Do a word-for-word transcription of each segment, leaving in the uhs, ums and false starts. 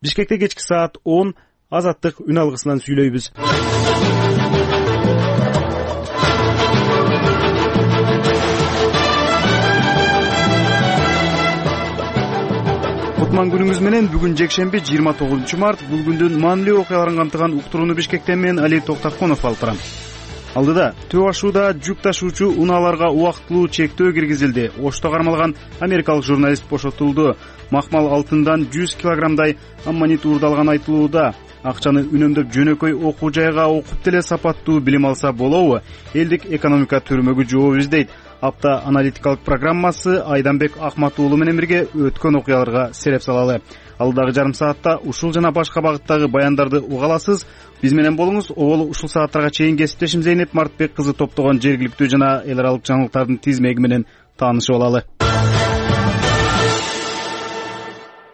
Бишкекте кечки саат он Азаттык үн алгысынан сүйлөйбүз. Кутман күнүңүз менен. Бүгүн жекшемби жыйырма тогузунчу март. Бул күндүн маанилүү окуяларын камтыган уктурууну Бишкектен мен Али Токтоконов алып барам. Алдыда Төө ашууда жүк ташуучу унааларга убактылуу чектөө киргизилди. Ошто кармалган америкалык журналист бошотулду. Макмал алтындан жүз килограммдай аммонит уурдалган айтылууда. Акчаны үнөмдөп жөнөкөй окуу жайга окуп деле сапаттуу билим алса болобу? Элдик экономика төрмөгү жооп издейт. Апта аналитикалык программасы Айданбек Акмат уулу менен бирге өткөн окуяларга сереп салалы. Алдагы жарым саатта ушул жана башка багыттагы баяндарды уга аласыз. Биз менен болуңуз. Обол ушул сааттарга чейин кесиптешим Зейнеп Мартбек кызы топтогон жергиликтүү жана эл аралык жаңылыктардын тизмеги менен таанышып алалы.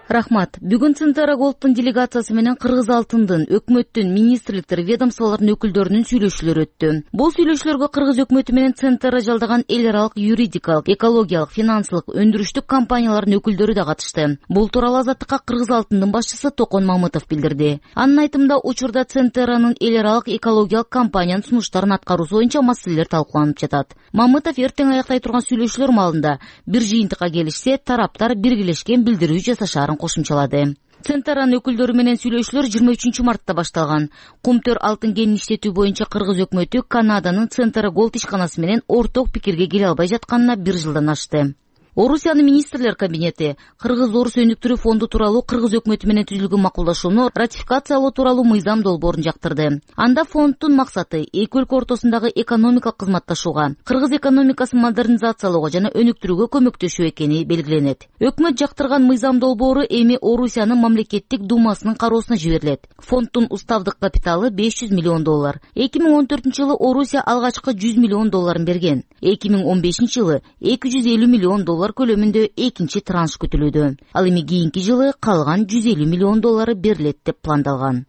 Рахмат. Бүгүн Центара Голдтун делегациясы менен Кыргыз алтындын, өкмөттүн, министрликтер, ведомстволордун өкүлдөрүнүн сүйлөшүүлөрү өттү. Бул сүйлөшүүлөргө Кыргыз өкмөтү менен Центара жалдаган эл аралык юридикалык, экологиялык, финансылык, өндүрүштүк компаниялардын өкүлдөрү да катышты. Бул тууралуу Азаттыкка Кыргыз алтындын башчысы Токон Мамытов билдирди. Анын айтымында, учурда Центаранын эл аралык экологиялык компаниянын сунуштарын аткаруусу боюнча маселелер талкууланып жатат. Мамытов эртең аяктай турган сүйлөшүүлөр маалында бир жыйынтыкка келишсе, тараптар биргелешкен билдирүү жасашаарын кошумчалады. Центаранын өкүлдөрү менен сүйлөшүүлөр жыйырма үчүнчү мартта башталган. Кумтөр алтын кенин иштетүү боюнча Кыргыз өкмөтү Канаданын Центара Голд ишканасы менен орток пикирге келе албай жатканына бир жылдан ашты. Орусиянын министрлер кабинети Кыргыз Орус өнүктүрүү фонду тууралуу Кыргыз өкмөтү менен түзүлгөн макулдашууну ратификациялоо тууралуу мыйзам долбоорун жактырды. Анда фонддун максаты эки өлкө ортосундагы экономикалык кызматташууга, Кыргыз экономикасын модернизациялоого жана өнүктүрүүгө көмөктөшүү экени белгиленет. Өкмөт жактырган мыйзам долбоору эми Орусиянын мамлекеттик думасынын кароосуна жиберилет. Фонддун уставдык капиталы беш жүз миллион доллар. эки миң он төртүнчү жылы Орусия алгачкы жүз миллион долларын берген. эки миң он бешинчи жылы эки жүз элүү миллион доллар көлөмүндө экинчи транш күтүлүүдө. Ал эми кийинки жылы калган жүз элүү миллион доллары берилет деп пландалган.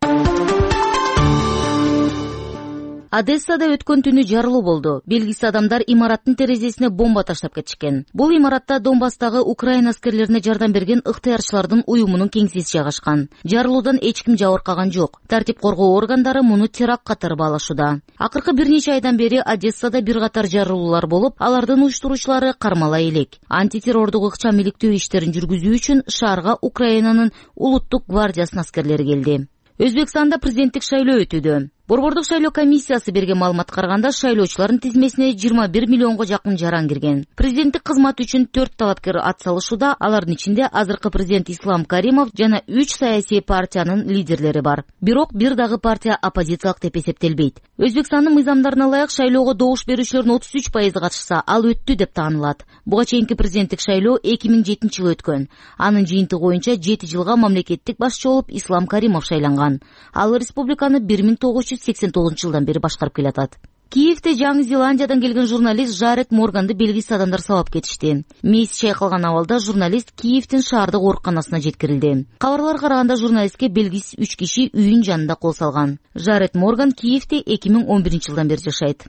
Одессада өткөн түнү жарылуу болду. Белгисиз адамдар имараттын терезесине бомба таштап кетишкен. Бул имаратта Донбасстагы Украина аскерлерине жардам берген ыктыярчылардын уюмунун кеңсеси жайгашкан. Жарылуудан эч ким жабыркаган жок. Тартип коргоо органдары муну теракт катары баалашууда. Акыркы бир нече айдан бери Одессада бир катар жарылуулар болуп, алардын уюштуруучулары кармала элек. Антитеррордук ыкчам иликтөө иштерин жүргүзүү үчүн шаарга Украинанын улуттук гвардиясынын аскерлери келди. Өзбекстанда президенттик шайлоо өтүүдө. Борбордук шайлоо комиссиясы берген маалыматка караганда шайлоочулардын тизмесине жыйырма бир миллионго жакын жаран кирген. Президенттик кызмат үчүн төрт талапкер ат салышууда, алардын ичинде азыркы президент Ислам Каримов жана үч саясий партиянын лидерлери бар. Бирок бир дагы партия оппозициялык деп эсептелбейт. Өзбекстандын мыйзамдарына ылайык шайлоого добуш берүүчүлөрдүн отуз үч пайызы катышса, ал өттү деп таанылат. Буга чейинки президенттик шайлоо эки миң жетинчи жылы өткөн. Анын жыйынтыгы боюнча жети жылга мамлекеттик башчы болуп Ислам Каримов шайланган. Ал республиканы бир миң тогуз жүз сексен тогузунчу жылдан бери башкарып келатат. Киевде Жаңы Зеландиядан келген журналист Жарет Морганды белгисиз адамдар сабап кетишти. Мээси чайкалган абалда журналист Киевдин шаардык ооруканасына жеткирилди. Кабарларга караганда журналистке белгисиз үч киши үйүнүн жанында кол салган. Жарет Морган Киевде эки миң он биринчи жылдан бери жашайт.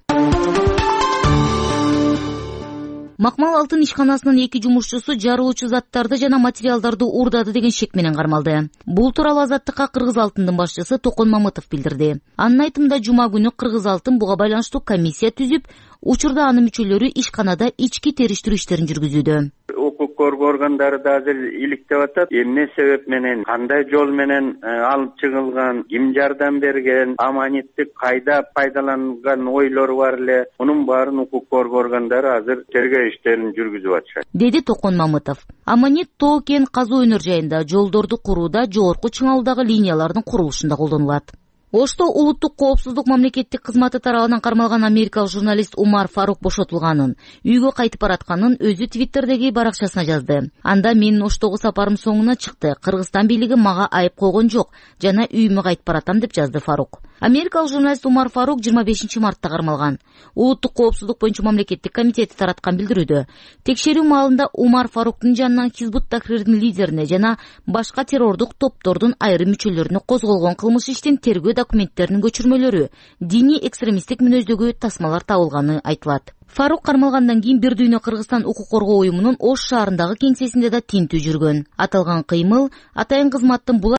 Макмал алтын ишканасынын эки жумушчусу жарылуучу заттарды жана материалдарды уурдады деген шек менен кармалды. Бул тууралуу Азаттыкка Кыргыз алтындын башчысы Токон Мамытов билдирди. Анын айтымында жума күнү Кыргыз алтын буга байланыштуу комиссия түзүп, учурда анын мүчөлөрү ишканада ички териштирүү иштерин жүргүзүүдө. Укук коргоо органдары да азыр иликтеп атат. Эмне себеп менен, кандай жол менен алып чыгылган, ким жардам берген, аманитти кайда пайдаланган ойлору бар эле. Мунун баарын укук коргоо органдары азыр тергөө иштерин жүргүзүп атышат, деди Токон Мамытов. Аманит тоо кен казуу өнөр жайында, жолдорду курууда, жогорку чыңалуудагы линиялардын курулушунда колдонулат. Ошто улуттук коопсуздук мамлекеттик кызматы тарабынан кармалган америкалык журналист Умар Фарук бошотулганын, үйгө кайтып баратканын өзү Твиттердеги баракчасына жазды. Анда менин Оштогу сапарым соңуна чыкты. Кыргызстан бийлиги мага айып койгон жок жана үйүмө кайтып баратам деп жазды Фарук. Америкалык журналист Умар Фарук жыйырма бешинчи мартта кармалган. Улуттук коопсуздук боюнча мамлекеттик комитети тараткан билдирүүдө текшерүү маалында Умар Фаруктун жанынан Хизбут Тахрирдин лидерине жана башка террордук топтордун айрым мүчөлөрүнө козголгон кылмыш иштин тергөө документтеринин көчүрмөлөрү, диний экстремисттик мүнөздөгү тасмалар табылганы айтылат. Фарук кармалгандан кийин Бир дүйнө Кыргызстан укук коргоо уюмунун Ош шаарындагы кеңсесинде да тинтүү жүргөн. Аталган кыймыл атайын кызматтын